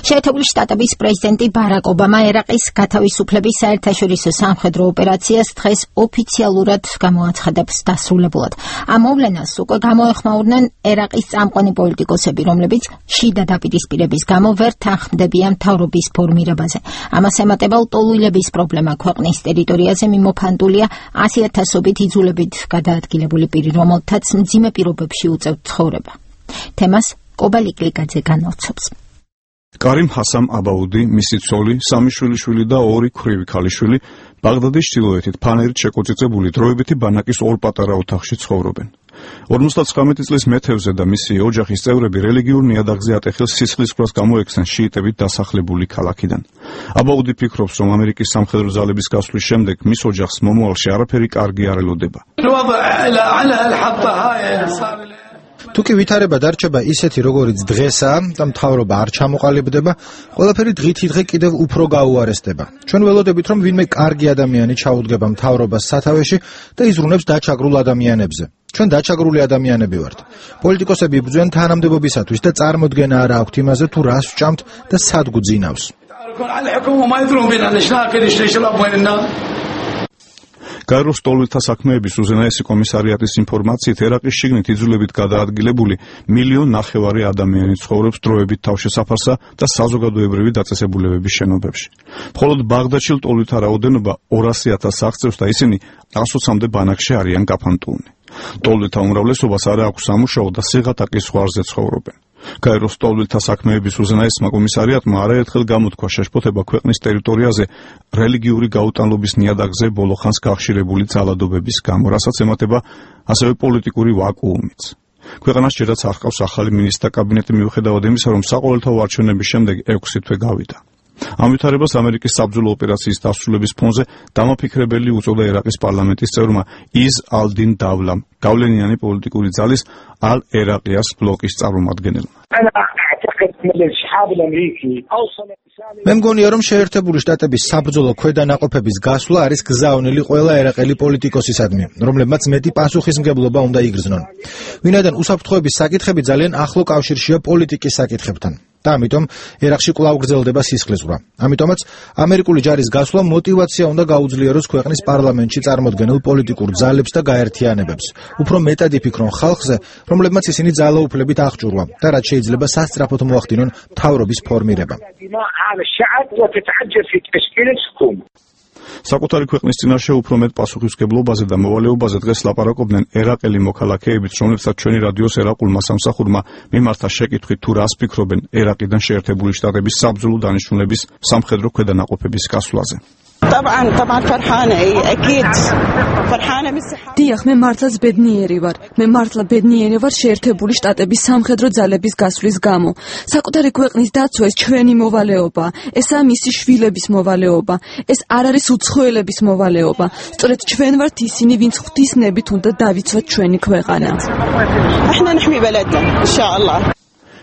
შეერთებული შტატების პრეზიდენტი ბარაკ ობამა ერაყის გათავისუფლების საერთაშორისო სამხედრო ოპერაციას დღეს ოფიციალურად გამოაცხადებს დასრულებულად. ამ მოვლენას უკვე გამოეხმაურნენ ერაყის წამყვანი პოლიტიკოსები, რომლებიც შიდა დაპირისპირების გამო ვერ თანხმდებიან მთავრობის ფორმირებაზე. ამას ემატება ლტოლვილების პრობლემა ქვეყნის ტერიტორიაზე მიმოფანტულია 100,000-ობით იძულებით გადაადგილებული პირი, რომელთაც მძიმე პირობებში უწევთ ცხოვრება. თემას კობა ლიკლიკაძე განავრცობს. კარიმ ჰასამ აბაუდი, მისი ცოლი, 3 შვილიშვილი და 2 ქვრივი ქალიშვილი ბაღდადის ჩრდილოეთით ფანერით შეკოწიწებული დროებითი ბანაკის 2 პატარა ოთახში ცხოვრობენ. 59 წლის მეთევზე და მისი ოჯახის წევრები რელიგიურ ნიადაგზე ატეხილ სისხლისღვრას გამოექცნენ შიიტებით დასახლებული ქალაქიდან. აბაუდი ფიქრობს, რომ ამერიკის სამხედრო ძალების გასვლის შემდეგ მის ოჯახს მომავალში არაფერი კარგი არ ელოდება. თუკი ვითარება დარჩება ისეთი, როგორიც დღესაა და მთავრობა არ ჩამოყალიბდება, ყველაფერი დღითიდღე კიდევ უფრო გაუარესდება. ჩვენ ველოდებით, რომ ვინმე კარგი ადამიანი ჩაუდგება მთავრობას სათავეში და იზრუნებს დაჩაგრულ ადამიანებზე. ჩვენ დაჩაგრული ადამიანები ვართ. პოლიტიკოსები იბრძვიან თანამდებობისათვის და წარმოდგენა არ აქვთ იმაზე, თუ რას ვჭამთ და სად გვძინავს. გაეროს ლტოლვილთა საქმეების უზენაესი კომისარიატის ინფორმაციით, ერაყის შიგნით იძულებით გადაადგილებული 1,5 მილიონი ადამიანი ცხოვრობს დროებით თავშესაფარსა და საზოგადოებრივი დაწესებულებების შენობებში. მხოლოდ ბაღდადში ლტოლვილთა რაოდენობა 200,000 აღწევს და ისინი 120-მდე ბანაკში არიან გაფანტულნი. ლტოლვილთა უმრავლესობას არ აქვს სამუშაო და სიღატაკის ზღვარზე ცხოვრობენ. გაეროს ლტოლვილთა საქმეების უზენაესმა კომისარიატმა არაერთხელ გამოთქვა შეშფოთება ქვეყნის ტერიტორიაზე რელიგიური გაუტანლობის ნიადაგზე ბოლოხანს გახშირებული ძალადობების გამო, რასაც ემატება ასევე პოლიტიკური ვაკუუმიც. ქვეყანას ჯერაც არ ჰყავს ახალი მინისტრთა კაბინეტი, მიუხედავად იმისა, რომ საყოველთაო არჩევნების შემდეგ 6 თვე გავიდა. ამ ვითარებას ამერიკის საბრძოლო ოპერაციის დასრულების ფონზე დამაფიქრებელი უწოდა ერაყის პარლამენტის წევრმა იზ ალ-딘 დავლამ, გავლენიანი პოლიტიკური ძალის ალ-ერაყიას ბლოკის წარმომადგენელმა. მე მგონია, რომ შეერთებული შტატების საბრძოლო ქვედანაყოფების გასვლა არის გზავნილი ყველა ერაყელი პოლიტიკოსისადმი, რომლებმაც მეტი პასუხისმგებლობა უნდა იგრძნონ. ვინაიდან უსაფრთხოების საკითხები ძალიან ახლო კავშირშია პოლიტიკის საკითხებთან. და ამიტომ ერაყში კვლავ გრძელდება სისხლისღვრა. ამიტომაც ამერიკული ჯარის გასვლა მოტივაცია უნდა გაუძლიეროს ქვეყნის პარლამენტში წარმოდგენილ პოლიტიკურ ძალებს და გაერთიანებებს. უფრო მეტად იფიქრონ ხალხზე, რომლებმაც ისინი ძალაუფლებით აღჭურვა და რაც შეიძლება სასწრაფოდ მოახდინონ მთავრობის ფორმირება. საკუთარი ქვეყნის წინაშე უფრო მეტ პასუხისმგებლობაზე და მოვალეობაზე დღეს ლაპარაკობდნენ ერაყელი მოქალაქეებიც, რომლებსაც ჩვენი რადიოს ერაყულმა სამსახურმა მიმართა შეკითხვით, თუ რას ფიქრობენ ერაყიდან შეერთებული შტატების საბრძოლო დანიშნულების სამხედრო ქვედანაყოფების გასვლაზე. დიახ, მე მართლაც ბედნიერი ვარ. მე მართლა ბედნიერი ვარ შეერთებული შტატების სამხედრო ძალების გასვლის გამო. საკუთარი ქვეყნის დაცვა ეს ჩვენი მოვალეობა. ესაა მისი შვილების მოვალეობა. ეს არ არის უცხოელების მოვალეობა. სწორედ ჩვენ ვართ ისინი, ვინც ღვთისნებით უნდა დავიცვათ ჩვენი ქვეყანა.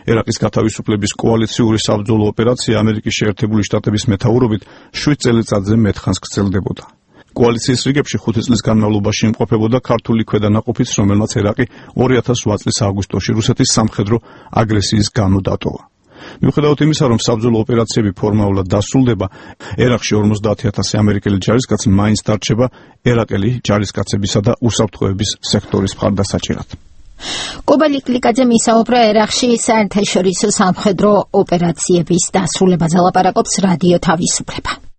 ერაყის გათავისუფლების კოალიციური საბრძოლო ოპერაცია ამერიკის შეერთებული შტატების მეთაურობით 7 წელიწადზე მეტხანს გრძელდებოდა. კოალიციის რიგებში 5 წლის განმავლობაში იმყოფებოდა ქართული ქვედანაყოფიც, რომელმაც ერაყი 2008 წლის აგვისტოში რუსეთის სამხედრო აგრესიის გამო დატოვა. მიუხედავად იმისა, რომ საბრძოლო ოპერაციები ფორმალურად დასრულდება, ერაყში 50,000 ამერიკელი ჯარისკაცი მაინც დარჩება ერაყელი ჯარისკაცებისა და უსაფრთხოების სექტორის მხარდასაჭერად. კობა ლიკლიკაძე მისაუბრა ერაყში საერთაშორისო სამხედრო ოპერაციების დასრულებაზე, ლაპარაკობს რადიო თავისუფლება.